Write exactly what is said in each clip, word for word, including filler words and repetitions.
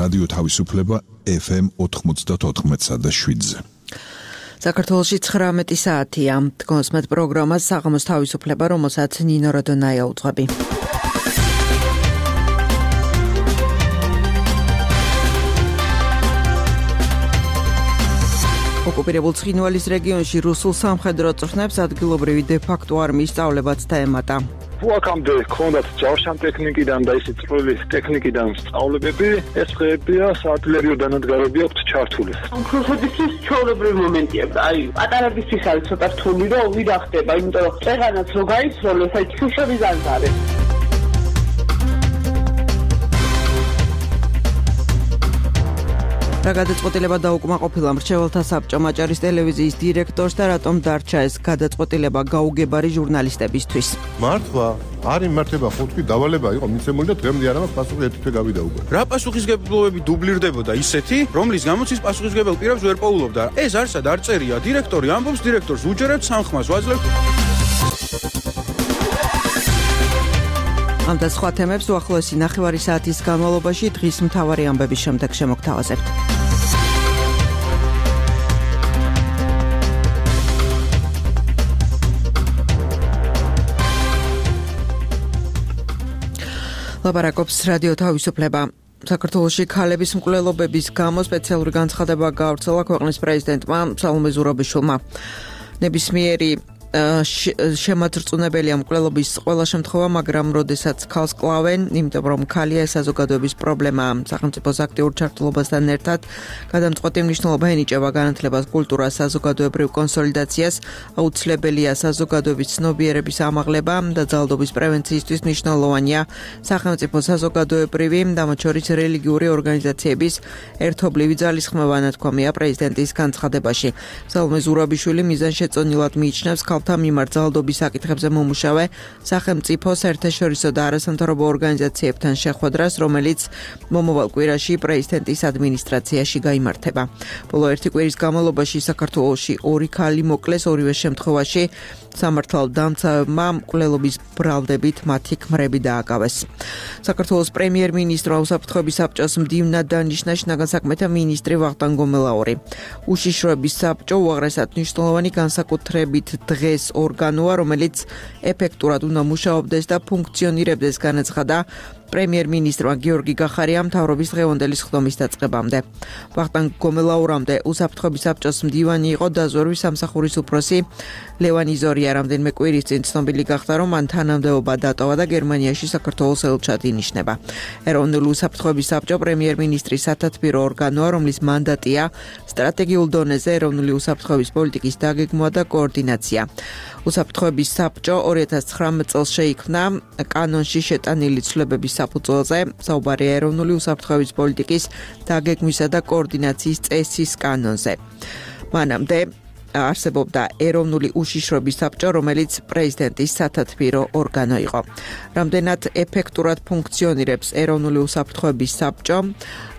რადიო თავისუფლება ეფ ემ ოთხმოცდაოთხ და შვიდზე. საქართველოში ცხრამეტი საათია. დგოს მათ პროგრამას საღამოს თავისუფლება, რომელსაც ნინო როდონაია უძღვები. ოკუპირებულ ცხინვალის რეგიონში რუსულ სამხედრო წვრთნებს ადგილობრივი დე-ფაქტო არმიის სწავლებაც დაემატა. აქამდე ჰქონდათ ჯავშანტექნიკიდან და ისე წვრილი ტექნიკიდან სწავლებები, ეს დღეებია საარტილერიო დანადგარები აქვთ ჩართული. რუსებისთვის ჩვეულებრივი მომენტია. აი, პატარებისთვის არის ცოტა რთული, რომ ვიდა ხდება, იმიტომ რომ წეღანაც რო გაიცროლეს, აი შუშები ზანზარებს. რა გადაწყვეტილება დაუკმაყოფილა მრჩეველთა საბჭომ აჭარის ტელევიზიის დირექტორს და რატომ დარჩა ეს გადაწყვეტილება გაუგებარი ჟურნალისტებისთვის? მართლა არ იმართება ხო თქვი დავალება იყო მიცემული და დღემდე არ აქვს პასუხი ერთი თვე გავიდა უკვე. რა პასუხისგებლობები დუბლირდებოდა ისეთი, რომლის გამოც ის პასუხისგებელ პირებს ვერ პოულობდა. ეს არსად არ წერია, დირექტორი ამბობს, დირექტორს უჯერებთ სამხმას ვაძლევთ. ამ და სხვა თემებს უახლოესი ნახევარი საათის განმავლობაში დღის მთავარი ამბების შემდეგ შემოგთავაზებთ. ლაპარაკობს რადიო თავისუფლება. საქართველოში ქალების მკვლელობების გამო სპეციალური განცხადება გავრცელა ქვეყნის პრეზიდენტმა სალომე ზურაბიშვილმა. ნებისმიერი შემაძრწუნებელია მკვლელობის ყველა შემთხვევა, მაგრამ როდესაც ქალს კლავენ, იმიტომ რომ ქალია ეს საზოგადოების პრობლემაა. სახელმწიფოს აქტიურ ჩართულობასთან ერთად გადამწყვეტი მნიშვნელობა ენიჭება განათლებას, კულტურას, საზოგადოებრივ კონსოლიდაციას, აუცილებელია საზოგადოების ცნობიერების ამაღლება და ძალადობის პრევენციისთვის მნიშვნელოვანია სახელმწიფო საზოგადოებრივი, მათ შორის რელიგიური ორგანიზაციების ერთობლივი ძალისხმევა, ნათქვამია პრეზიდენტის განცხადებაში. სალომე ზურაბიშვილი მიზანშეწონილად მიიჩნევს ქალთა მიმართ ძალადობის საკითხებზე მომუშავე სახელმწიფო საერთაშორისო და არასამთავრობო ორგანიზაციებთან შეხვედრას, რომელიც მომავალ კვირაში პრეზიდენტის ადმინისტრაციაში გაიმართება. ბოლო ერთი კვირის განმავლობაში საქართველოში ორი ქალი მოკლეს, ორივე შემთხვევაში სამართალ დამცავებმა მკვლელობის ბრალდებით მათი ქმრები დააკავეს. საქართველოს პრემიერ-მინისტრმა უსაფრთხოების საბჭოს მდივნად დანიშნა შინაგან საქმეთა მინისტრი ვახტანგ გომელაური. უშიშროების საბჭო უაღრესად მნიშვნელოვანი განსაკუთრებით დღეს ორგანოა, რომელიც ეფექტურად უნდა მუშაობდეს და ფუნქციონირებდეს, განაცხადა პრემიერ-მინისტრმა გიორგი გახარიამ მთავრობის დღევანდელი სხდომის დაწყებამდე. ვახტანგ გომელაურამდე უსაფრთხოების საბჭოს მდივანი იყო დაზვერვის სამსახურის უფროსი ლევან იზორია. რამდენიმე კვირის წინ ცნობილი გახდა, რომ მან თანამდებობა დატოვა და გერმანიაში საქართველოს ელჩად ინიშნება. ეროვნული უსაფრთხოების საბჭო პრემიერ-მინისტრის სათათბირო ორგანოა, რომლის მანდატია სტრატეგიულ დონეზე ეროვნული უსაფრთხოების პოლიტიკის დაგეგმვა და კოორდინაცია. უსაფრთხოების საბჭო ორი ათას ცხრამეტ წელს შეიქმნა კანონში შეტანილი ცვლილებების საფუძველზე, საუბარია ეროვნული უსაფრთხოების პოლიტიკის დაგეგმვისა და კოორდინაციის წესის კანონზე. მანამდე არსებობდა ეროვნული უშიშროების საბჭო, რომელიც პრეზიდენტის სათათბირო ორგანო იყო. რამდენად ეფექტურად ფუნქციონირებს ეროვნული უსაფრთხოების საბჭო,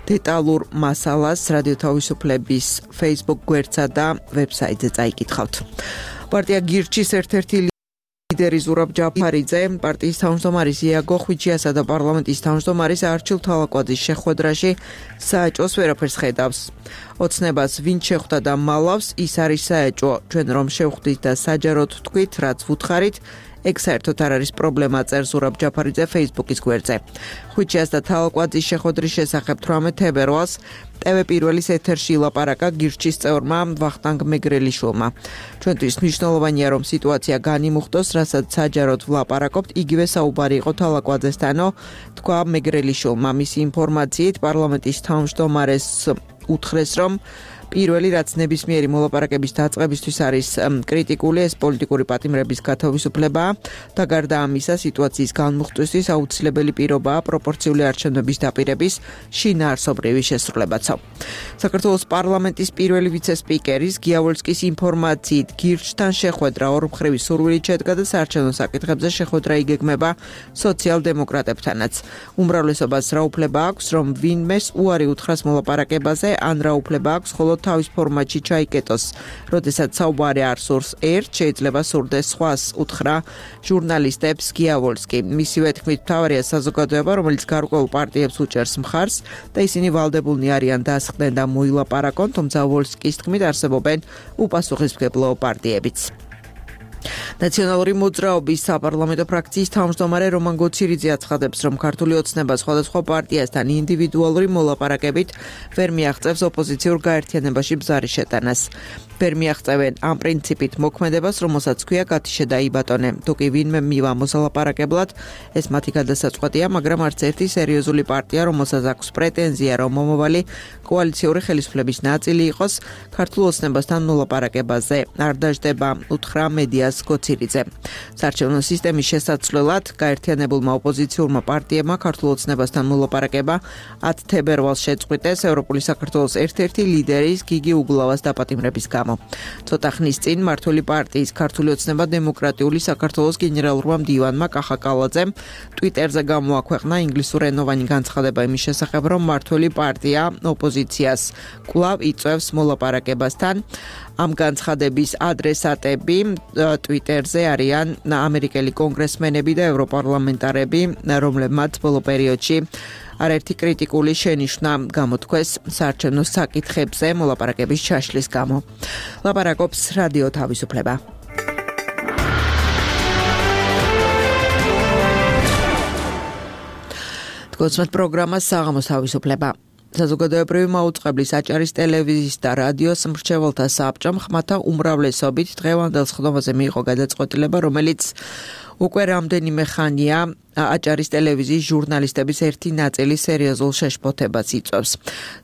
დეტალურ მასალას რადიო თავისუფლების Facebook გვერდსა და ვებსაიტზე წაიკითხავთ. პარტია გირჩის ერთ-ერთი ლიდერი ზურაბ ჯაფარიძე, პარტიის თავმჯდომარის იაგო ხვიჩიასა და პარლამენტის თავმჯდომარის არჩილ თვალაკვაძის შეხვედრაში საეჭვოს ვერაფერს ხედავს. ოცნებას ვინ შეხვდა და მალავს, ის არის საეჭვო. ჩვენ რომ შევხვდით და საჯაროდ თქვით, რაც ვუთხარით, ეგ საერთოდ არ არის პრობლემა, წერს ზურაბ ჯაფარიძე Facebook-ის გვერდზე. ხვიჩიას და თვალაკვაძის შეხვედრის შესახებ თვრამეტ თებერვალს ტევ პირველის ეთერში ლაპარაკა გირჩის წევრმა ვახტანგ მეგრელიშვილმა. ჩვენთვის მნიშვნელოვანია, რომ სიტუაცია განიმუხტოს, რასაც საჯაროდ ვლაპარაკობთ, იგივე საუბარი იყო თვალაკვაძესთანო, თქვა მეგრელიშვილმა. მისი ინფორმაციით პარლამენტის თავმჯდომარეს უთხრეს, რომ პირველი რაც ნებისმიერი მოლაპარაკების დაწყებისთვის არის კრიტიკული, ეს პოლიტიკური პატიმრების გათავისუფლებაა და გარდა ამისა სიტუაციის განმუხტვისთვის აუცილებელი პირობაა პროპორციული არჩევნების დაპირების შინაარსობრივი შესრულებაცო. საქართველოს პარლამენტის პირველი ვიცე-სპიკერის გიავოლსკის ინფორმაციით გირჩთან შეხვედრა ორმხრივი სურვილით შედგა და საარჩევნო საკითხებზე შეხვედრა იგეგმება სოციალ-დემოკრატებთანაც. უმრავლესობას რა უფლება აქვს, რომ ვინმეს უარი უთხრას მოლაპარაკებაზე, ან რა უფლება აქვს, ხოლო თავის ფორმატში ჩაიკეტოს. როდესაც საუბარი არ სურს ერთ, შეიძლება სურდეს სხვას, უთხრა ჟურნალისტებს გიავოლსკი. მისივე თქმით, მთავარია საზოგადოება, რომელიც გარკვეულ პარტიებს უჭერს მხარს და ისინი ვალდებულნი არიან დასხდნენ და მოილაპარაკონ, თუმცა ვოლსკის თქმით არსებობენ უპასუხისმგებლო პარტიებიც. ნაციონალური მოძრაობის საპარლამენტო ფრაქციის თავმჯდომარე რომან გოცირიძე აცხადებს, რომ ქართული ოცნება სხვადასხვა პარტიასთან ინდივიდუალური მოლაპარაკებით ვერ მიაღწევს ოპოზიციურ გაერთიანებაში ბზარის შეტანას. ვერ მიაღწევენ ამ პრინციპით მოქმედებას, რომელსაც ქვია გათიშე და იბატონე. თუ კი ვინმე მივა მოსალაპარაკებლად, ეს მათი გადასაწყვეტია, მაგრამ არც ერთი სერიოზული პარტია, რომელსაც აქვს პრეტენზია, რომ მომავალი კოალიციური ხელისუფლების ნაწილი იყოს, ქართულ ოცნებასთან მოლაპარაკებაზე არ დაждდება, უთხრა მედიას გოცირიძე. საარჩევნო სისტემის შესაცვლელად გაერთიანებულმა ოპოზიციურმა პარტიებმა ქართულ ოცნებასთან მოლაპარაკება ათ თებერვალს შეწყვიტეს ევროპული საქართველოს ერთ-ერთი ლიდერის გიგი უგულავას დაპატიმრების გამო. ცოტა ხნის წინ მმართველი პარტიის ქართული ოცნება დემოკრატიული საქართველოს გენერალურმა მდივანმა კახა კალაძემ ტვიტერზე გამოაქვეყნა ინგლისურენოვანი განცხადება იმის შესახებ, რომ მმართველი პარტია ოპოზიციას კვლავ იწვევს მოლაპარაკებასთან. ამ განცხადების ადრესატები ტვიტერზე არიან ამერიკელი კონგრესმენები და ევროპარლამენტარები, რომლებმაც ბოლო პერიოდში არაერთი კრიტიკული შენიშვნა გამოთქვეს საარჩევნო საკითხებზე მოლაპარაკების ჩაშლის გამო. ლაპარაკობს რადიო თავისუფლება. თქოსმეთ პროგრამა საღამოს თავისუფლება. საზოგადოებრივი მაუწყებლის აჭარის ტელევიზიის და რადიოს მრჩეველთა საბჭომ ხმათა უმრავლესობით დღევანდელ სხდომაზე მიიღო გადაწყვეტილება, რომელიც უკვე რამდენიმე ხანია აჭარის ტელევიზიის ჟურნალისტების ერთი ნაწილი სერიოზულ შეშფოთებას იწვევს.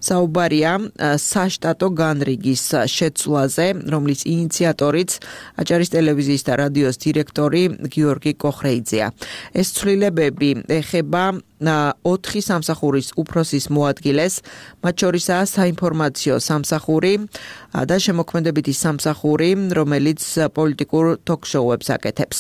საუბარია საშტატო განრიგის შეცვლაზე, რომლის ინიციატორიც აჭარის ტელევიზიის და რადიოს დირექტორი გიორგი კოხრეიძეა. ეს ცვლილებები ეხება ოთხი სამსახურის უფროსის მოადგილეს, მათ შორისაა საინფორმაციო სამსახური და შემოქმედებითი სამსახური, რომელიც პოლიტიკურ ток-შოუებს აკეთებს.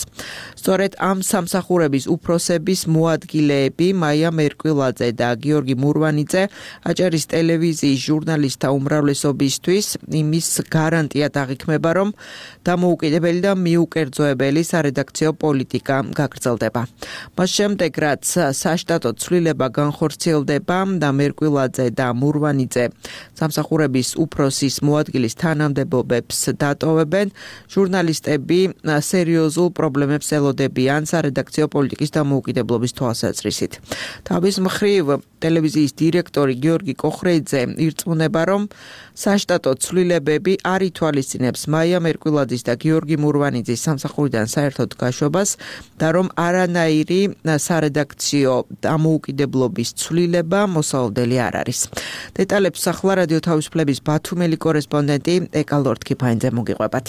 სწორედ ამ სამსახურების უფროსების მოადგილეები მაია მერკვილაძე და გიორგი მურვანიძე აჭარის ტელევიზიის ჟურნალისტთა უმრავლესობისთვის იმის გარანტიად აღიქმება, რომ დამოუკიდებელი და მიუკერძოებელი სარედაქციო პოლიტიკა გაგრძელდება. მას შემდეგ, რაც საშტატო ცვლილება განხორციელდება და მერკვილაძე და მურვანიძე სამსახურების უფროსის მოადგილის თანამდებობებს დატოვებენ, ჟურნალისტები სერიოზულ პრობლემებს ელოდებიან სარედაქციო პოლიტიკის დამოუკიდებლობის თვალსაზრისით. თავის მხრივ ტელევიზიის დირექტორი გიორგი კოხრეიძე ირწმუნება, რომ საშტატო ცვლილებები არ ითვალისწინებს მაია მერკვილაძის და გიორგი მურვანიძის სამსახურიდან საერთოდ გაშვებას და რომ არანაირი სარედაქციო დამოუკიდებლობის ცვლილება მოსალოდელი არ არის. დეტალებს ახლა რადიო თავისუფლების ბათუმელი კორესპონდენტი ეკა ლორდ-კიფაინძე მოგიყვებათ.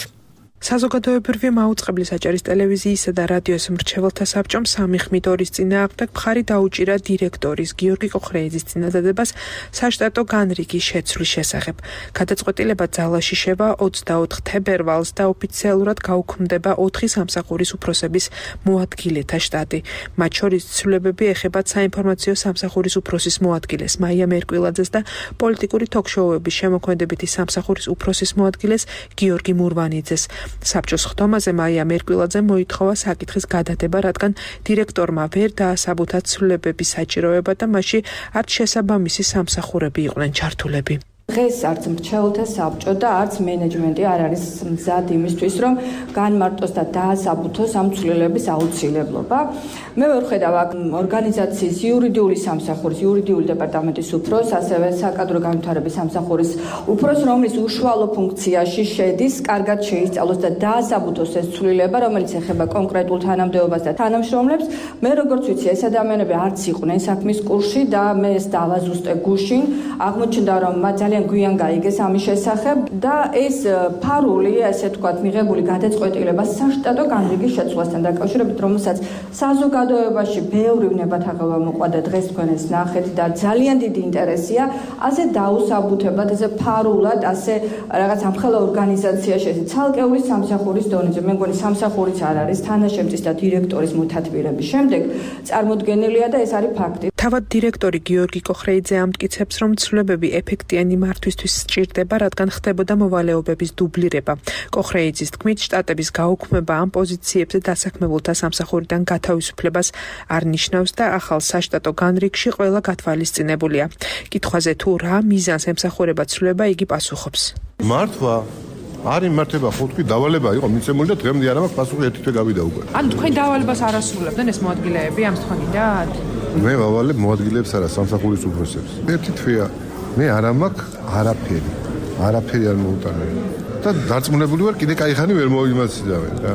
საზოგადოებრივი მაუწყებლის აჭარის ტელევიზიისა და რადიოს მრჩეველთა საბჭომ სამი ხმით ორის წინააღმდეგ მხარი დაუჭირა დირექტორის გიორგი კოხრეიძის წინადადებას საშტატო განრიგის შეცვლის შესახებ. გადაწყვეტილება ძალაში შევა ოცდაოთხ თებერვალს და ოფიციალურად გაუქმდება ოთხი სამსახურის უფროსების მოადგილეთა შტატი. მათ შორის ცვლილებები ეხებათ საინფორმაციო სამსახურის უფროსის მოადგილეს მაია მერკვილაძეს და პოლიტიკური ток-შოუების შემოქმედებითი სამსახურის უფროსის მოადგილეს გიორგი მურვანიძეს. საბჭოს ხდომაზე მაია მერკვილაძე მოითხოვა საკითხის გადადება, რადგან დირექტორმა ვერ დაასაბუთა ცვლილებების საჭიროება და მასში არც შესაბამისი სამსახურები იყვნენ ჩართულები. დღეს არც მრჩეველთა საბჭო და არც მენეჯმენტი არ არის მზად იმისთვის, რომ განმარტოს და დაასაბუთოს ამ ცვლილების აუცილებლობა. მე ვერ ხედავ აქ ორგანიზაციის იურიდიული სამსახურის, იურიდიული დეპარტამენტის უფროს, ასევე საკადრო განვითარების სამსახურის უფროს, რომლის უშუალო ფუნქციაში შედის, კარგად შეისწავლოს და დაასაბუთოს ეს ცვლილება, რომელიც ეხება კონკრეტულ თანამდებობას და თანამშრომლებს. მე როგორც ვიცი, ეს ადამიანები არც იყვნენ საქმის კურსში და მე ეს დავაზუსტე გუშინ. აღმოჩნდა, რომ მათ ძალიან გვიან გაიგეს ამის შესახებ და ეს ფარული, ასე ვთქვათ, მიღებული გადაწყვეტილება საშტატო განრიგის შეცვლასთან დაკავშირებით, რომელსაც საზოგადოებაში ბევრი ვნებათაღელვა მოყვა და დღეს თქვენ ეს ნახეთ და ძალიან დიდი ინტერესია, ასე დაუსაბუთებლად, ესე ფარულად, ასე რაღაც ამხელა ორგანიზაციაში, ესე ცალკეული სამსახურის დონეზე, მე მგონი სამსახურიც არ არის თანაშემწის და დირექტორის მოთათბირების შემდეგ წარმოდგენილია და ეს არის ფაქტი. თავად დირექტორი გიორგი კოხრეიძე ამტკიცებს, რომ ცვლილებები ეფექტიანი მართვისთვის სჭირდება, რადგან ხდებოდა მოვალეობების დუბლირება. კოხრეიძის თქმით, შტატების გაუქმება ამ პოზიციებზე დასაქმებულთა სამსახურიდან გათავისუფლებას არ ნიშნავს და ახალ საშტატო განრიგში ყველა გათვალისწინებულია. კითხვაზე თუ რა მიზანს ემსახურება ცვლილება, იგი პასუხობს. მართვა არ იმართება ხო თქვი დავალება იყო მიცემული და დღემდე არ მაქვს პასუხი ერთი თვე გავიდა უკვე. ანუ თქვენ დავალებას არ ასრულებდნენ ეს მოადგილეები ამ თქვენიდან? მე ვავალებ მოადგილეებს არა სამსახურის უფროსებს. ერთი თვეა მე არ მაქვს არაფერი. არაფერი არ მოუტანე. და დარწმუნებული ვარ კიდე кайხანი ვერ მოვიმაციდავენ და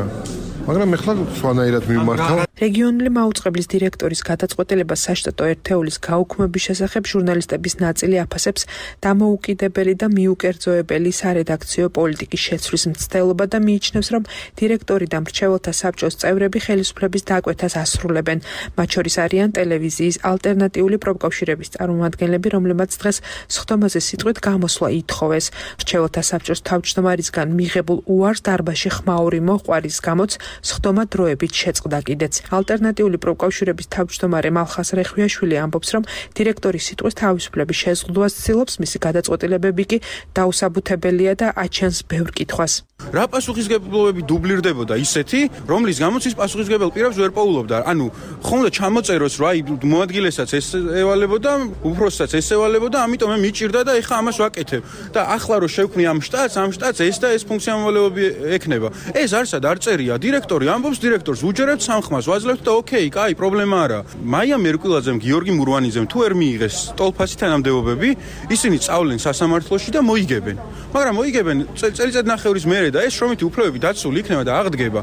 მაგრამ ეხლა სხვანაირად მიმართავ. რეგიონული მაუწყებლის დირექტორის გადაწყვეტილება საშტატო ერთეულის გაუქმების შესახებ ჟურნალისტების ნაწილი აფასებს დამოუკიდებელი და მიუკერძოებელი სარედაქციო პოლიტიკის შეცვლის მცდელობა და მიიჩნევს, რომ დირექტორი და მრჩეველთა საბჭოს წევრები ხელისუფლების დაკვეთას ასრულებენ. მათ შორის არიან ტელევიზიის ალტერნატიული პროფკავშირების წარმომადგენლები, რომლებმაც დღეს სხდომაზე სიტყვით გამოსვლა ითხოვეს. მრჩეველთა საბჭოს თავმჯდომარისგან მიღებულ უარს დარბაზში ხმაური მოყვარის გამოც სხდომა დროებით შეწყდა კიდეც. ალტერნატიული პროფკავშირების თავმჯდომარე მალხას რეხვიაშვილი ამბობს, რომ დირექტორის სიტყვის თავისუფლების შეზღუდვას ცდილობს, მისი გადაწყვეტილებები კი დაუსაბუთებელია და აჩენს ბევრ კითხვას. რა პასუხისმგებლობები დუბლირდებოდა ისეთი, რომლის გამოც ის პასუხისმგებელ პირებს ვერ პოულობდა. ანუ ხომ და ჩამოწეროს, რომ აი მოადგილესაც ეს ევალებოდა, უფროსსაც ეს ევალებოდა, ამიტომ მე მიჭირდა და ეხა ამას ვაკეთებ. და ახლა რომ შევქმნი ამ შტატს, ამ შტატს ეს და ეს ფუნქცია მოვალეობები ექნება. ეს არსად არ წერია. დირექტორი ამბობს, დირექტორს უჯერებთ სამხმას, ვაძლევთ და ოკეი, კაი, პრობლემა არა. მაია მერკვილაძემ, გიორგი მურვანიძემ თუ ვერ მიიღეს ტოლფასი თანამდებობები, ისინი სწავლენ სასამართლოში და მოიგებენ. მაგრამ მოიგებენ წელიწადნახევრის მერე და ეს შრომითი უფლებები დაცული იქნება და აღდგება.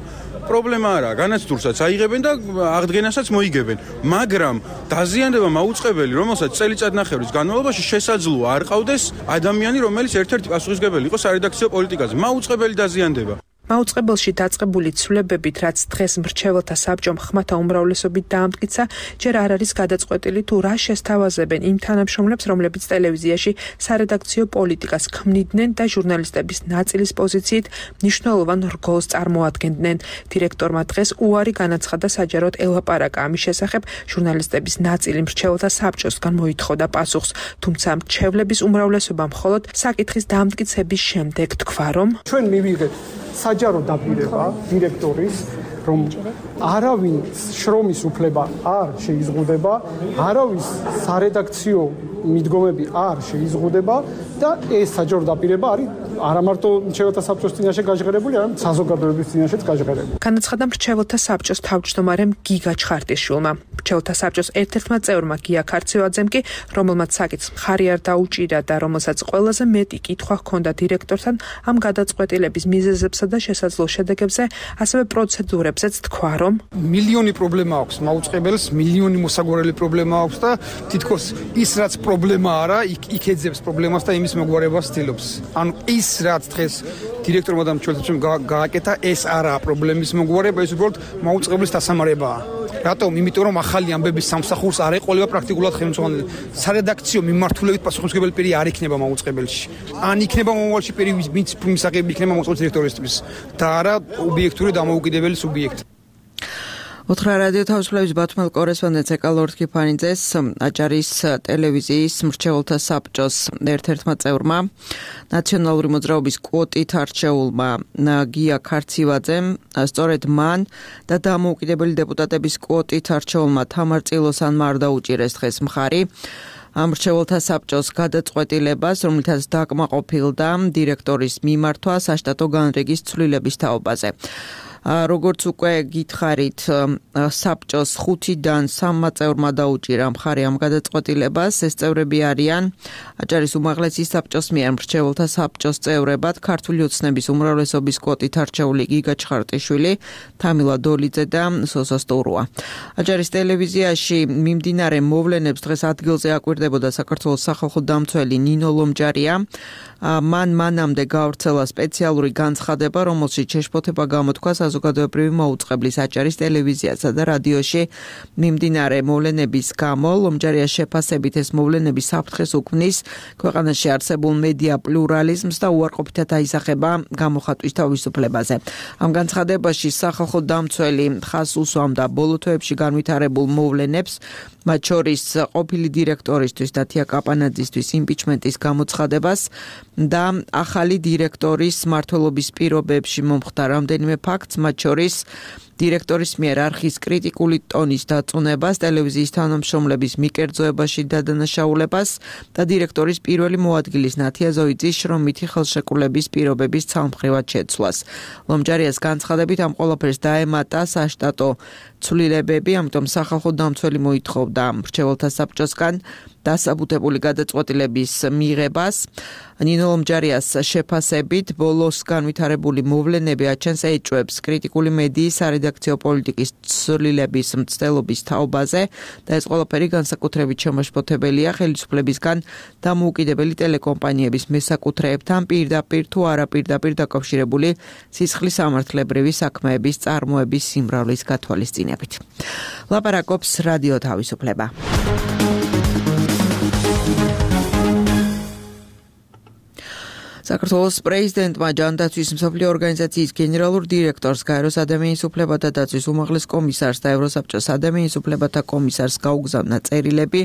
პრობლემა არა, განაცდურსაც აიღებენ და აღდგენასაც მოიგებენ. მაგრამ დაზიანდება მაუწყებელი, რომელსაც წელიწადნახევრის განმავლობაში შესაძლოა არ ყავდეს ადამიანი, რომელიც ერთ-ერთი პასუხისმგებელი იყო სარედაქციო პოლიტიკაზე. მაუწყებელი დაზიანდება. მაუწყებელში დაწყებული ცვლილებებით, რაც დღეს მრჩეველთა საბჭომ ხმათა უმრავლესობით დაამტკიცა, ჯერ არ არის გადაწყვეტილი თუ რა შესთავაზებენ იმ თანამშრომლებს, რომლებიც ტელევიზიაში სარედაქციო პოლიტიკას ქმნიდნენ და ჟურნალისტების ნაწილის პოზიციით მნიშვნელოვან რგოლს წარმოადგენდნენ. დირექტორმა დღეს უარი განაცხადა საჯაროდ ელაპარაკა ამის შესახებ, ჟურნალისტების ნაწილი მრჩეველთა საბჭოსგან მოითხოვდა პასუხს, თუმცა მრჩევლების უმრავლესობა მხოლოდ საკითხის დამტკიცების შემდეგ თქვა, რომ ჩვენ მივიღეთ საჯარო დაპირება დირექტორის, რომ არავინ შრომის უფლება არ შეიზღუდება, არავის სარედაქციო მიდგომები არ შეიზღუდება და ეს საჯარო დაპირება არის არა მარტო მრჩეველთა საბჭოს წინაშე გაჟღერებული, არამედ საზოგადოების წინაშეც გაჟღერებული. განაცხადა მრჩეველთა საბჭოს თავმჯდომარემ გიგა ჩხარტიშვილმა. მრჩეველთა საბჭოს ერთ-ერთმა წევრმა გია ქარცევაძემ კი, რომელმაც საკითხს მხარი არ დაუჭირა და რომელსაც ყველაზე მეტი კითხვა ჰქონდა დირექტორთან ამ გადაწყვეტილების მიზეზებსა და შესაძლო შედეგებზე, ასევე პროცედურებზეც თქვა, რომ მილიონი პრობლემა აქვს მაუწყებელს, მილიონი მოსაგვარელი პრობლემა აქვს და თითქოს ის რაც პრობლემა არა, იქ ეძებს პრობლემას და იმის მოგვარებას ცდილობს. ანუ ის რაც დღეს დირექტორმა და მრჩეველთამ გააკეთა, ეს არაა პრობლემის მოგვარება, ეს უბრალოდ მაუწყებლის დასამარებაა. რატომ? იმიტომ რომ ახალი ამბების სამსახურს არ ეყოლება პრაქტიკულად ხელმძღვანელი. სარედაქციო მიმართულებით პასუხისმგებელი პირი არ იქნება მაუწყებელში. ან იქნება მომავალში პირი, ვინც მისაღები იქნება მაუწყებლის დირექტორისთვის და არა ობიექტური დამოუკიდებელი სუბიექტი. უთხრა რადიო თავისუფლების ბათუმელ კორესპონდენტს ეკალორდ კიფანიძეს აჭარის ტელევიზიის მრჩეველთა საბჭოს ერთ-ერთმა წევრმა ნაციონალური მოძრაობის კვოტით არჩეულმა გია ქარცივაძემ სწორედ მან და დამოუკიდებელი დეპუტატების კვოტით არჩეულმა თამარ წილოსანმა არ დაუჭირეს დღეს მხარი ამ მრჩეველთა საბჭოს გადაწყვეტილებას, რომლითაც დაკმაყოფილდა დირექტორის მიმართვა საშტატო განრიგის ცვლილების თაობაზე. როგორც უკვე გითხარით, საბჭოს ხუთიდან სამმა წევრმა დაუჭირა მხარი ამ გადაწყვეტილებას. ეს წევრები არიან აჭარის უმაღლესი საბჭოს მიერ მრჩეველთა საბჭოს წევრებად ქართული ოცნების უმრავლესობის კვოტით არჩეული გიგა ჩხარტიშვილი, თამილა დოლიძე და სოსო სტურუა. აჭარის ტელევიზიაში მიმდინარე მოვლენებს დღეს ადგილზე აკვირდებოდა საქართველოს სახალხო დამცველი ნინო ლომჯარია. მან მანამდე გავრცელა სპეციალური განცხადება, რომელშიც შეშფოთება გამოთქვა საზოგადოებრივი მაუწყებლის აჭარის ტელევიზიასა და რადიოში მიმდინარე მოვლენების გამო ლომჯარიას შეფასებით ეს მოვლენები საფრთხეს უქმნის ქვეყანაში არსებულ მედია პლურალიზმს და უარყოფითად აისახება გამოხატვის თავისუფლებაზე. Ამ განცხადებაში სახალხო დამცველი ხაზს უსვამდა ბოლო თვეებში განვითარებულ მოვლენებს, მათ შორის ყოფილი დირექტორისთვის დათია კაპანაძისთვის იმპიჩმენტის გამოცხადებას და ახალი დირექტორის მმართველობის პირობებში მომხდარ რამდენიმე ფაქტს, მათ შორის დირექტორის მიერ არხის კრიტიკული ტონის დაწუნებას, ტელევიზიის თანამშრომლების მიკერძოებაში დადანაშაულებას და დირექტორის პირველი მოადგილის ნათია ზოიძის შრომითი ხელშეკრულების პირობების ცალმხრივად შეცვლას. ლომჯარიას განცხადებით ამ ყველაფერს დაემატა საშტატო ცვლილებები, ამიტომ სახალხო დამცველი მოითხოვდა მრჩეველთა საბჭოსგან დასაბუთებული გადაწყვეტილების მიღებას. ნინო ლომჯარიას შეფასებით ბოლოს განვითარებული მოვლენები აჩენს ეჭვებს კრიტიკული მედიის სარედაქციო პოლიტიკის ცვლილების მცდელობის თაობაზე და ეს ყველაფერი განსაკუთრებით შემაშფოთებელია ხელისუფლებისგან დამოუკიდებელი ტელეკომპანიების მესაკუთრეებთან პირდაპირ თუ არაპირდაპირ დაკავშირებული სისხლის სამართლებრივი საქმეების წარმოების სიმრავლის გათვალისწინებით. ლაპარაკობს რადიო თავისუფლება. საქართველოს პრეზიდენტმა ჯანდაცვის მსოფლიო ორგანიზაციის გენერალურ დირექტორს, გაეროს ადამიანის უფლებათა დაცვის უმაღლეს კომისარს და ევროსაბჭოს ადამიანის უფლებათა კომისარს გაუგზავნა წერილები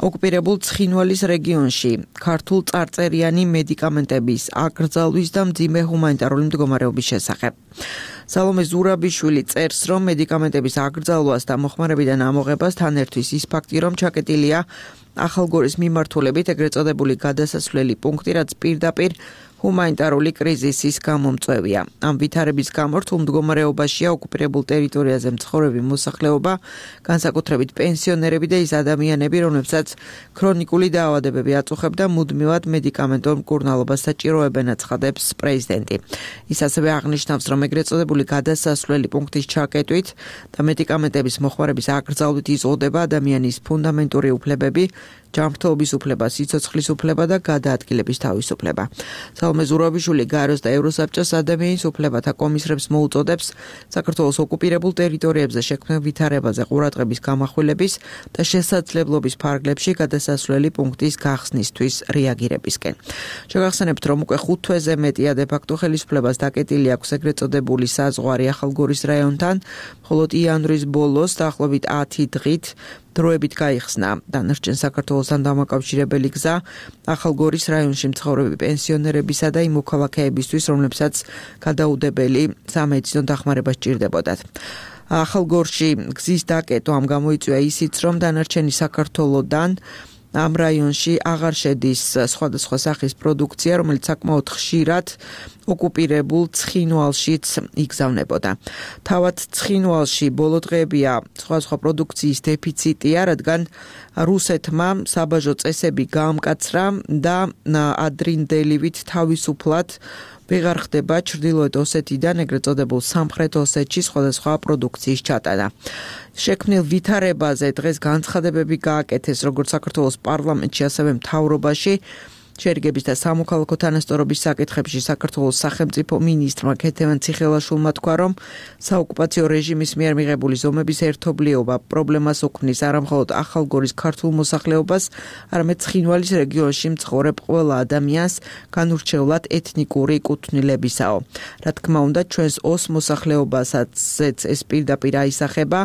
ოკუპირებულ ცხინვალის რეგიონში ქართულ წარწერიანი მედიკამენტების აკრძალვის და მძიმე ჰუმანიტარული მდგომარეობის შესახებ. სალომე ზურაბიშვილი წერს, რომ მედიკამენტების აკრძალვას და მოხმარებიდან ამოღებას თან ერთვის ის ფაქტი, რომ ჩაკეტილია ახალგორის მიმართულებით ეგრეთ წოდებული გადასასვლელი პუნქტი, რაც პირდაპირ ჰუმანიტარული კრიზისის გამომწვევია. ამ ვითარების გამო რთულ მდგომარეობაშია ოკუპირებულ ტერიტორიაზე მცხოვრები მოსახლეობა, განსაკუთრებით პენსიონერები და ის ადამიანები, რომლებსაც ქრონიკული დაავადებები აწუხებ და მუდმივად მედიკამენტურ მკურნალობას საჭიროებენ, აცხადებს პრეზიდენტი. ის ასევე აღნიშნავს, რომ ეგრეთ წოდებული გადასასვლელი პუნქტის ჩაკეტვით და მედიკამენტების მოხმარების აკრძალვით იზღუდება ადამიანის ფუნდამენტური უფლებები, ჯანმრთელობის უფლება, სიცოცხლის უფლება და გადაადგილების თავისუფლება. სალომე ზურაბიშვილი გაეროს და ევროსაბჭოს ადამიანის უფლებათა კომისრებს მოუწოდებს საქართველოს ოკუპირებულ ტერიტორიებზე შექმნილ ვითარებაზე ყურადღების გამახვილების და შესაძლებლობის ფარგლებში გადასასვლელი პუნქტის გახსნისთვის რეაგირებისკენ. შეგახსენებთ, რომ უკვე ხუთ თვეზე მეტია დე-ფაქტო ხელისუფლებას დაკეტილი აქვს ეგრეთ წოდებული საზღვარი ახალგორის რაიონთან, მხოლოდ იანვრის ბოლოს დაახლოებით ათი დღით დროებით გაიხსნა დანარჩენ საქართველოსთან დამაკავშირებელი გზა ახალგორის რაიონში მცხოვრები პენსიონერებისა და იმ მოქალაქეებისთვის, რომლებსაც გადაუდებელი სამედიცინო დახმარება სჭირდებოდათ. ახალგორში გზის დაკეტვა ამ გამოიწვია ისიც, რომ დანარჩენი საქართველოდან ამ რაიონში აღარ შედის სხვადასხვა სახის პროდუქცია, რომელიც საკმაოდ ხშირად ოკუპირებულ ცხინვალშიც იგზავნებოდა. თავად ცხინვალში ბოლო დღეებია სხვადასხვა პროდუქციის დეფიციტია, რადგან რუსეთმა საბაჟო წესები გაამკაცრა და ადრინდელივით თავისუფლად ვეღარ ხდება ჩრდილოეთ ოსეთიდან ეგრეთ წოდებულ სამხრეთ ოსეთში სხვადასხვა პროდუქციის ჩატანა. შექმნილ ვითარებაზე დღეს განცხადებები გააკეთეს როგორც საქართველოს პარლამენტში, ასევე მთავრობაში. შერიგების და სამოქალაქო თანასწორობის საკითხებში საქართველოს სახელმწიფო მინისტრმა ქეთევან ციხელაშვილმა თქვა, რომ საოკუპაციო რეჟიმის მიერ მიღებული ზომების ერთობლიობა პრობლემას უქმნის არა მხოლოდ ახალგორის ქართულ მოსახლეობას, არამედ ცხინვალის რეგიონში მცხოვრებ ყველა ადამიანს განურჩევლად ეთნიკური კუთვნილებისაო. რა თქმა უნდა, ჩვენს ოს მოსახლეობასაც ეს პირდაპირ აისახება.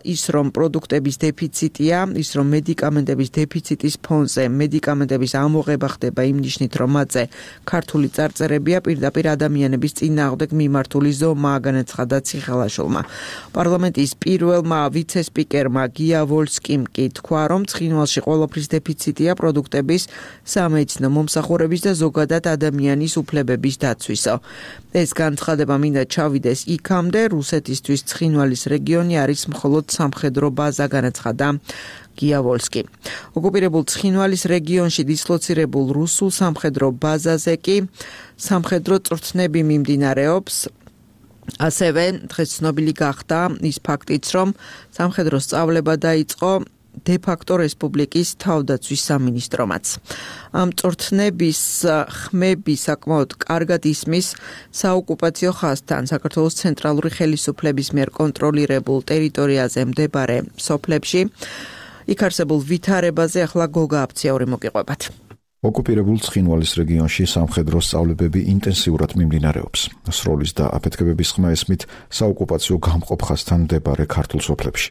ის რომ პროდუქტების დეფიციტია, ის რომ მედიკამენტების დეფიციტის ფონზე მედიკამენტების ამოღება ხდება იმ ნიშნით, რომ მათზე ქართული წარწერებია, პირდაპირ ადამიანების წინააღმდეგ მიმართული ზომაა, განაცხადა ციხელაშვილმა. პარლამენტის პირველმა ვიცე-სპიკერმა გია ვოლსკიმ კი თქვა, რომ ცხინვალში ყველაფრის დეფიციტია პროდუქტების, სამედიცინო მომსახურების და ზოგადად ადამიანის უფლებების დაცვისო. ეს განცხადება მინდა ჩავიდეს იქამდე, რუსეთისთვის ცხინვალის რეგიონი არის მხოლოდ სამხედრო ბაზა, განაცხადა გია ვოლსკი. ოკუპირებულ ცხინვალის რეგიონში დისლოცირებულ რუსულ სამხედრო ბაზაზე კი სამხედრო წვრთნები მიმდინარეობს. ასევე დღეს ცნობილი გახდა ის ფაქტიც, რომ სამხედრო სწავლება დაიწყო დე-ფაქტო რესპუბლიკის თავდაცვის სამინისტრომაც. ამ წვრთნების ხმები საკმაოდ კარგად ისმის საოკუპაციო ხაზთან საქართველოს ცენტრალური ხელისუფლების მიერ კონტროლირებულ ტერიტორიაზე მდებარე სოფლებში. იქ არსებულ ვითარებაზე ახლა გოგა აფციური მოგიყვებათ. ოკუპირებულ ცხინვალის რეგიონში სამხედრო სწავლებები ინტენსიურად მიმდინარეობს. სროლის და აფეთქებების ხმა ესმით საოკუპაციო გამყოფ ხაზთან მდებარე ქართულ სოფლებში.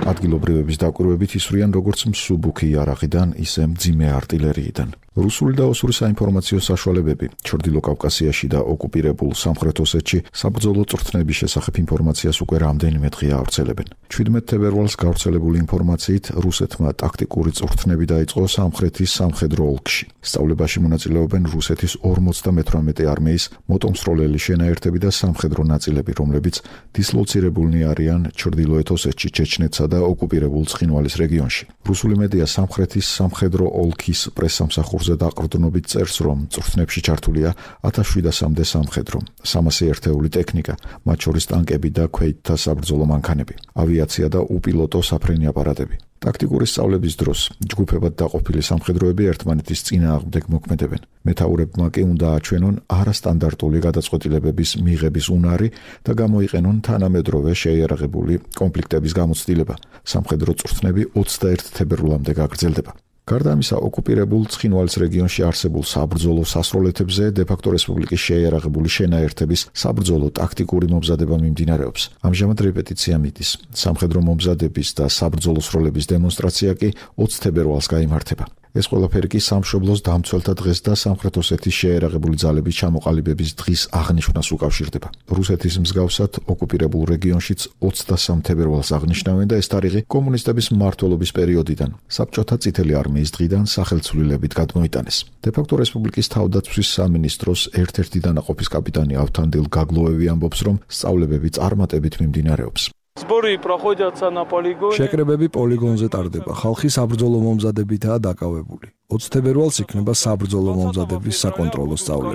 ადგილობრივების დაკვირვებით ისვრიან როგორც მსუბუქი იარაღიდან, ისე მძიმე артиლერიიდან. რუსული და ოსური საინფორმაციო საშუალებები ჩრდილო კავკასიაში და ოკუპირებულ სამხრეთ ოსეთში საბრძოლო წვრთნების შესახებ ინფორმაციას უკვე რამდენიმე დღეა ავრცელებენ. ჩვიდმეტ თებერვალს გავრცელებული ინფორმაციით რუსეთმა ტაქტიკური წვრთნები დაიწყო სამხრეთის სამხედრო ოლქში. სწავლებაში მონაწილეობენ რუსეთის ორმოცდამეთვრამეტე არმიის მოტომსროლელი შენაერთები და სამხედრო ნაწილები, რომლებიც დისლოცირებულნი არიან ჩრდილოეთ ოსეთში, ჩეჩნეთსა და ოკუპირებულ ცხინვალის რეგიონში. რუსული მედია სამხრეთის სამხედრო ოლქის პრესსამსახურს დაყრდნობით წერს, რომ წვრთნებში ჩართულია ათას შვიდასამდე სამხედრო, სამასი ერთეული ტექნიკა, მათ შორის ტანკები და ქვეითთა საბრძოლო მანქანები, ავიაცია და უპილოტო საფრენი აპარატები. ტაქტიკური სწავლების დროს ჯგუფებად დაყოფილი სამხედროები ერთმანეთის წინააღმდეგ მოქმედებენ. მეთაურებმა კი უნდა აჩვენონ არასტანდარტული გადაწყვეტილებების მიღების უნარი და გამოიყენონ თანამედროვე შეიარაღებული კონფლიქტების გამოცდილება. სამხედრო წვრთნები ოცდაერთ თებერვლამდე გაგრძელდება. გარდა ამისა, ოკუპირებულ ცხინვალის რეგიონში არსებულ საბრძოლო სასროლეთებზე დე-ფაქტო რესპუბლიკის შეიარაღებული შენაერთების საბრძოლო ტაქტიკური მომზადება მიმდინარეობს. ამჟამად რეპეტიცია მიდის. სამხედრო მომზადების და საბრძოლო სროლების დემონსტრაცია კი ოცი თებერვალს გაიმართება. ეს ყველაფერი კი სამშობლოს დამცველთა დღეს და სამხრეთ ოსეთის შეიარაღებული ძალების ჩამოყალიბების დღის აღნიშვნას უკავშირდება. რუსეთის მსგავსად ოკუპირებულ რეგიონშიც ოცდასამ თებერვალს აღნიშნავენ და ეს თარიღი კომუნისტების მმართველობის პერიოდიდან, საბჭოთა წითელი არმიის დღიდან სახელცვლილებით გადმოიტანეს. დე-ფაქტო რესპუბლიკის თავდაცვის სამინისტროს ერთ-ერთი დანაყოფის კაპიტანი ავთანდილ გაგლოევი ამბობს, რომ სწავლებები წარმატებით მიმდინარეობს. შეკრებები პოლიგონზე ტარდება. ხალხი საბრძოლო მომზადებითაა დაკავებული. ოცი თებერვალს იქნება საბრძოლო მომზადების საკონტროლო სწავლება.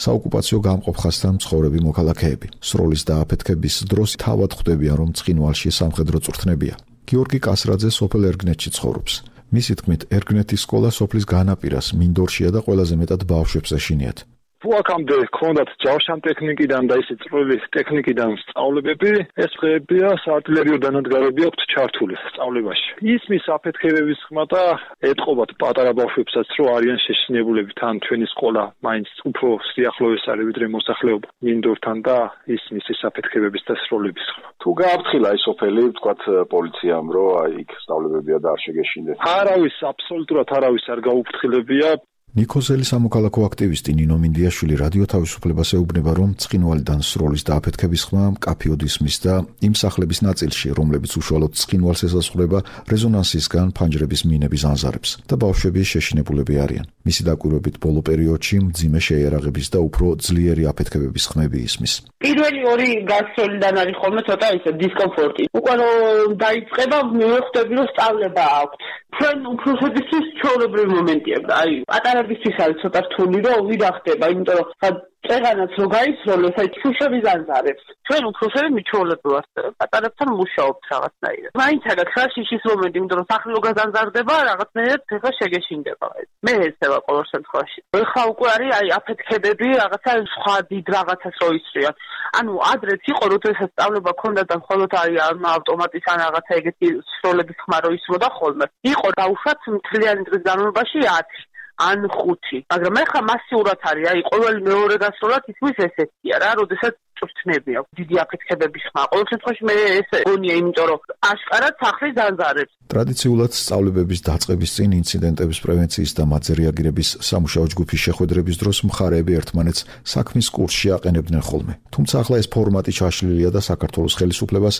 საოკუპაციო გამყოფ ხაზთან მცხოვრები მოქალაქეები. სროლის და აფეთქების დროს თავად ხვდებიან, რომ ცხინვალში სამხედრო წვრთნებია. გიორგი კასრაძე სოფელ ერგნეთში ცხოვრობს. მისი თქმით, ერგნეთის სკოლა სოფლის განაპირას მინდორშია და ყველაზე მეტად ბავშვებს ეშინიათ. აქამდე ქონდათ ჯავშან ტექნიკიდან და ისე წვრილი ტექნიკიდან სწავლებები, ეს დღეებია საარტილერიო დანადგარები აქვთ ჩართული სწავლებაში. ისმის აფეთქებების ხმა და ეტყობათ პატარა ბავშვებსაც, რომ არიან შეშინებულები, თან ჩვენი სკოლა მაინც უფრო სიახლოვეს არის ვიდრე მოსახლეობა მინდორთან და ისმის ეს აფეთქებების და სროლების ხმა. თუ გააფრთხილა ის სოფელი, ვთქვათ პოლიციამ, რომ აი იქ სწავლებებია და არ შეგეშინდეთ. არავის, აბსოლუტურად არავის არ გაუფრთხილებია. ნიკოზელი სამოქალაქო აქტივისტი ნინო მინდიაშვილი რადიო თავისუფლებას ეუბნება, რომ ცხინვალიდან სროლის და აფეთქების ხმა მკაფიოდ ისმის და იმ სახლების ნაწილში, რომლებიც უშუალოდ ცხინვალს ესაზღვრება, რეზონანსისგან ფანჯრების მინების ანზარებს და ბავშვები შეშინებულები არიან. მისი დაკვირვებით ბოლო პერიოდში მძიმე შეიარაღების და უფრო ძლიერი აფეთქებების ხმები ისმის. პირველი ორი გასროლიდან არის ხოლმე ცოტა ისე დისკომფორტი. უკვე რომ დაიწყება, მივხვდები, რომ სწავლება აქვს. ჩვენ უფროსებისთვის ჩვეულებრივი მომენტია. აი, პატარებისთვის არის ცოტა რთული, რომ ვიდა ხდება, იმიტომ რომ წეღანაც რო გაისროლეს, აი შუშები ზანზარებს. ჩვენ უფროსები მიჩვეულები ვართ, პატარებთან მუშაობთ რაღაცნაირად. მაინც არა ხაშიშის მომენტი, იმიტომ რომ სახლი რო გაზანზარდება, რაღაცნაირად ეხლა შეგეშინდება. მე ეცევა ყოველ შემთხვევაში. ეხლა უკვე არის აი აფეთქებები, რაღაცა სხვა დიდ რაღაცას რო ისრიან. ანუ ადრეც იყო, როდესაც სწავლება ქონდა და მხოლოდ აი ავტომატის ან რაღაცა ეგეთი სროლების ხმა რო ისროდა ხოლმე. იყო დაუშვათ მთლიანი დღის განმავლობაში ათი. ან ხუთი. მაგრამ ეხლა მასიურად არის, აი ყოველ მეორე გასროლად ისმის ესეთია რა, როდესაც წვრთნები აქვს, დიდი აფეთქებების ხმა. ყოველ შემთხვევაში მე ეს გონია, იმიტომ რომ აშკარად სახლის დანზარებს. ტრადიციულად სწავლებების დაწყების წინ ინციდენტების პრევენციის და მათზე რეაგირების სამუშაო ჯგუფის შეხვედრების დროს მხარეები ერთმანეთს საქმის კურსში აყენებდნენ ხოლმე. თუმცა ახლა ეს ფორმატი ჩაშლილია და საქართველოს ხელისუფლებას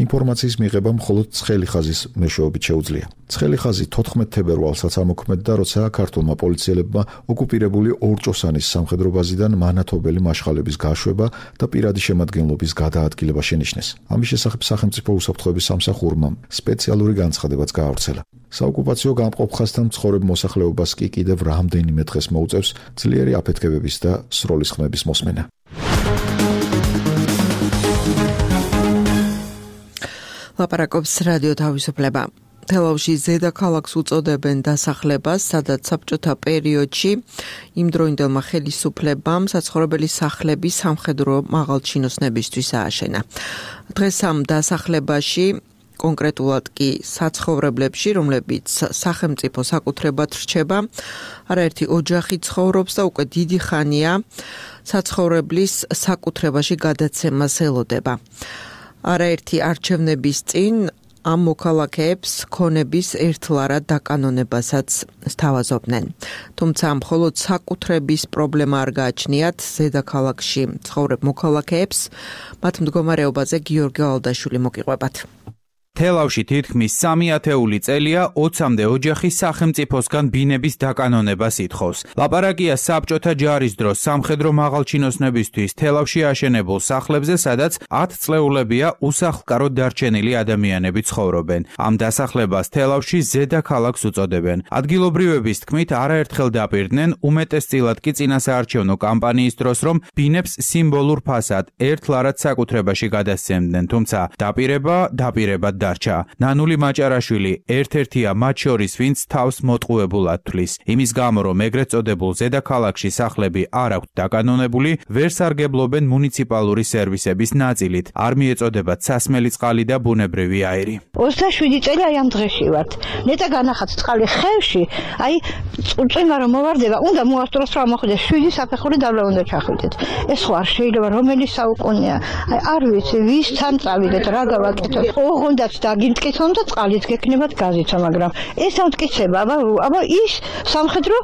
ინფორმაციის მიღება მხოლოდ ცხელი ხაზის მეშვეობით შეუძლია. ცხელი ხაზი თოთხმეტ თებერვალსაც ამოქმედდა, როცა ქართულმა პოლიციელებმა ოკუპირებული ორჭოსანის სამხედრო ბაზიდან მანათობელი მაშხალების გაშვება და პირადი შემადგენლობის გადაადგილება შენიშნეს. ამის შესახებ სახელმწიფო უსაფრთხოების სამსახურმა სპეციალური განცხადებაც გაავრცელა. საოკუპაციო გამყოფ ხაზთან მცხოვრებ მოსახლეობას კი კიდევ რამდენიმე დღეს მოუწევს ძლიერი აფეთქებების და სროლის ხმების მოსმენა. ლაპარაკობს რადიო თავისუფლება. თელავში ზედაქალაქს უწოდებენ დასახლებას, სადაც საბჭოთა პერიოდში იმდროინდელმა ხელისუფლებამ საცხოვრებელი სახლები სამხედრო მაღალჩინოსნებისთვის ააშენა. დღეს ამ დასახლებაში კონკრეტულად კი საცხოვრებლებში, რომლებიც სახელმწიფო საკუთრებად რჩება, არაერთი ოჯახი ცხოვრობს და უკვე დიდი ხანია საცხოვრებლის საკუთრებაში გადაცემას ელოდება. არაერთი არჩევნების წინ ამ მოქალაქეებს ქონების ერთლარად დაკანონებასაც სთავაზობდნენ. თუმცა მხოლოდ საკუთრების პრობლემა არ გააჩნიათ ზედაქალაქში ცხოვრებ მოქალაქეებს, მათ მდგომარეობაზე გიორგი ალდაშვილი მოგიყვებათ. თელავში თითქმის სამი ათეული წელია ოცამდე ოჯახი სახელმწიფოსგან ბინების დაკანონებას ითხოვს. ლაპარაკია საბჭოთა ჯარის დროს სამხედრო მაღალჩინოსნებისთვის თელავში აშენებულ სახლებზე, სადაც ათ წლეულებია უსახლკაროდ დარჩენილი ადამიანები ცხოვრობენ. ამ დასახლებას თელავში ზედაქალაქს უწოდებენ. ადგილობრივების თქმით, არაერთხელ დაპირდნენ, უმეტესწილად კი წინასაარჩევნო კამპანიის დროს, რომ ბინებს სიმბოლურ ფასად ერთლარად საკუთრებაში გადასცემდნენ, თუმცა დაპირება დაპირებად დარჩა. ნანული მაჭარაშვილი ერთ-ერთია მათ შორის, ვინც თავს მოტყუებულად თვლის. იმის გამო, რომ ეგრეთ წოდებულ ზედაქალაქში სახლები არ აქვთ დაკანონებული, ვერ სარგებლობენ მუნიციპალური სერვისების ნაწილით. არ მიეწოდებათ სასმელი წყალი და ბუნებრივი აირი. ოცდაშვიდი წელი აი ამ დღეში ვართ. ნეტა განახაც წყალი ხევში, აი წვიმა რომ მოვარდება, უნდა მოასწროს რომ ამოხვდეს შვიდი საფეხური დაბლა უნდა ჩახვიდეთ. ეს ხო არ შეიძლება, რომელი საუკუნეა. აი არ ვიცი, ვისთან წავიდეთ, რა გავაკეთოთ. ოღონდ დაგიმტკიცონ და წყალიც გექნებათ გაზიცა, მაგრამ ეს ამტკიცება, აბა აბა ის სამხედრო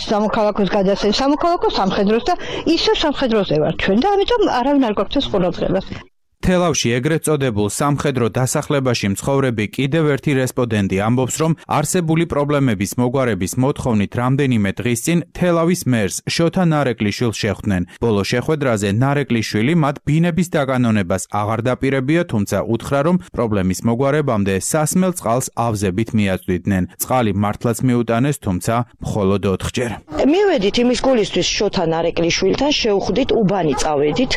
სამოქალაქოს გადასცემს, სამოქალაქო სამხედროს და ისო სამხედროზე ვარ ჩვენ და ამიტომ არავინ არ გვაქვს ყურადღებას. თელავში ეგრეთ წოდებულ სამხედრო დასახლებაში მცხოვრები კიდევ ერთი რესპონდენტი ამბობს, რომ არსებული პრობლემების მოგვარების მოთხოვნით რამდენიმე დღის წინ თელავის მერს შოთა ნარეკლიშვილს შეხვდნენ. ბოლო შეხვედრაზე ნარეკლიშვილი მათ ბინების დაკანონებას აღარ დაპირებია, თუმცა უთხრა, რომ პრობლემის მოგვარებამდე სასმელ წყალს ავზებით მიაწვდიდნენ. წყალი მართლაც მიუტანეს, თუმცა მხოლოდ ოთხჯერ. მივედით იმის გულისთვის შოთა ნარეკლიშვილთან, შევხვდით უბანი წავედით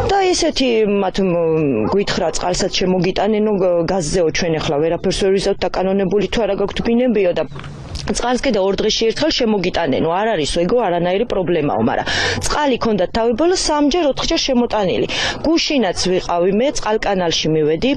და ესეთი მათ გვითხრა წყალსაც შემოგიტანენო გაზზეო ჩვენ ახლა ვერაფერს ვერ ვიზავთ დაკანონებული თუ არა გაქვთ ბინებიო და წყალს კიდე ორ დღეში ერთხელ შემოგიტანენო არ არის ეგო არანაირი პრობლემაო, მაგრამ წყალი ქონდათ თავებოლა სამჯერ ოთხჯერ შემოტანილი. გუშინაც ვიყავი მე წყალკანალში მივედი,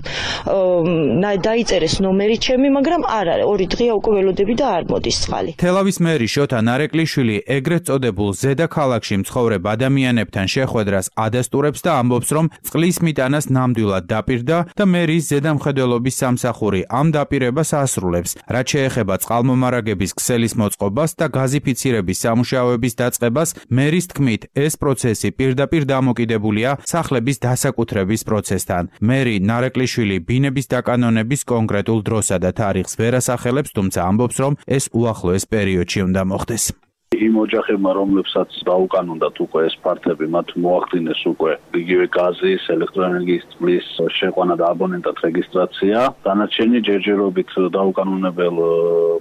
დაიწერეს ნომერი ჩემი, მაგრამ არ არის ორი დღეა უკვე ველოდები და არ მოდის წყალი. თელავის მერი შოთა ნარეკვლიშვილი ეგრეთ წოდებულ ზედაქალაქში მცხოვრებ ადამიანებთან შეხვედრას ადასტურებს და ამბობს, რომ წყლის მიტანას ნამდვილად დაპირდა და მერის ზედამხედველობის სამსახური ამ დაპირებას ასრულებს. რაც შეეხება წყალმომარაგების ქსელის მოწყობას და გაზიფიცირების სამუშაოების დაწყებას, მერის თქმით, ეს პროცესი პირდაპირ დამოკიდებულია სახლების დასაკუთრების პროცესთან. მერი ნარეკვლიშვილი ბინების დაკანონების კონკრეტულ დროსა და თარიღს ვერ ასახელებს, თუმცა ამბობს, რომ ეს უახლოეს პერიოდში უნდა მოხდეს. იმ ოჯახებმა, რომლებსაც დაუკანონდათ უკვე ეს ფართები, მათ მოახდინეს უკვე იგივე გაზის, ელექტროენერგიის წყლის შეყვანა და აბონენტად რეგისტრაცია. დანარჩენი ჯერჯერობით დაუკანონებელ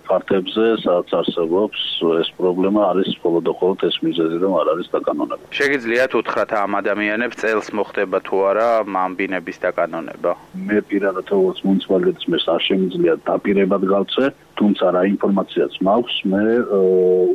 ფართებზე, სადაც არსებობს ეს პრობლემა, არის მხოლოდ და მხოლოდ ეს მიზეზი, რომ არ არის დაკანონებული. შეგიძლიათ უთხრათ ამ ადამიანებს წელს მოხდება თუ არა ამ ბინების დაკანონება? მე პირადად როგორც მუნიციპალიტეტის მერს არ შემიძლია დაპირებად გავწე, თუმცა რა ინფორმაციაც მაქვს, მე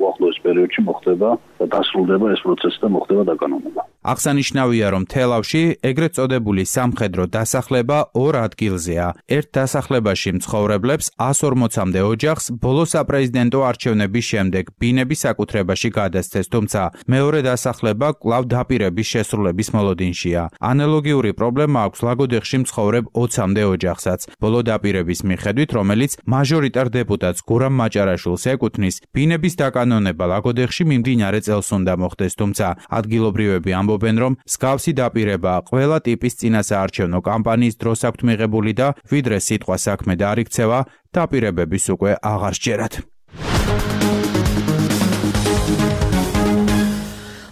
უახლოეს პერიოდში მოხდება და დასრულდება ეს პროცესი და მოხდება დაკანონება. აღსანიშნავია, რომ თელავში ეგრეთ წოდებული სამხედრო დასახლება ორ ადგილზეა. ერთ დასახლებაში მცხოვრებლებს ას ორმოცამდე ოჯახს ბოლო საპრეზიდენტო არჩევნების შემდეგ ბინების საკუთრებაში გადასცეს, თუმცა მეორე დასახლება კვლავ დაპირების შესრულების მოლოდინშია. ანალოგიური პრობლემა აქვს ლაგოდეხში მცხოვრებ ოცამდე ოჯახსაც. ბოლო დაპირების მიხედვით, რომელიც მაჟორიტარ დეპუტატს გურამ მაჭარაშვილს ეკუთვნის, ბინების დაკანონება ლაგოდეხში მიმდინარე წელს უნდა მოხდეს, თუმცა ადგილობრივები ამბობენ, რომ მსგავსი დაპირება ყველა ტიპის წინასაარჩევნო კამპანიის დროს აქვთ მიღებული და ვიდრე სიტყვა საქმე დაარიქცევა, დაპირებების უკვე აღარ სჯერათ.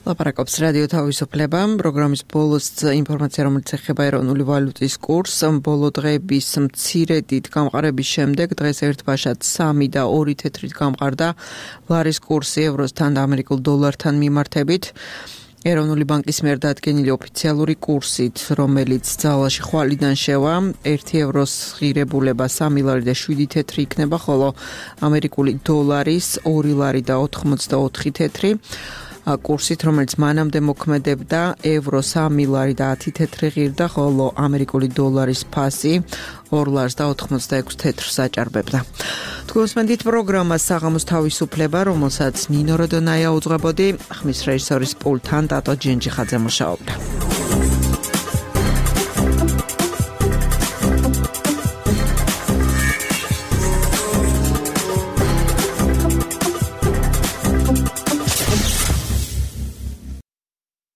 ლაპარაკობს რადიო თავისუფლება. პროგრამის ბოლოს ინფორმაცია, რომელიც ეხება ეროვნული ვალუტის კურსს, ბოლო დღეების მცირედით გამყარების შემდეგ დღეს ერთბაშად სამი და ორი თეთრით გამყარდა ლარის კურსი ევროსთან და ამერიკულ დოლართან მიმართებით. ეროვნული ბანკის მიერ დადგენილი ოფიციალური კურსით, რომელიც ძალაში ხვალიდან შევა, ერთი ევროს ღირებულება სამი ლარი და შვიდი თეთრი იქნება, ხოლო ამერიკული დოლარის ორი ლარი და ოთხმოცდაოთხი თეთრი. კურსით, რომელიც მანამდე მოქმედებდა, ევრო სამი ლარი და ათი თეთრი ღირდა, ხოლო ამერიკული დოლარის ფასი ორ ლარს და ოთხმოცდაექვსი თეთრს აჭარბებდა. თქვენს მენდით პროგრამა საღამოს თავისუფლება, რომელსაც ნინო როდონაია უძღვებოდი, ხმის რეჟისორის პულტთან დატო ჯენჯიხაძე მუშაობდა.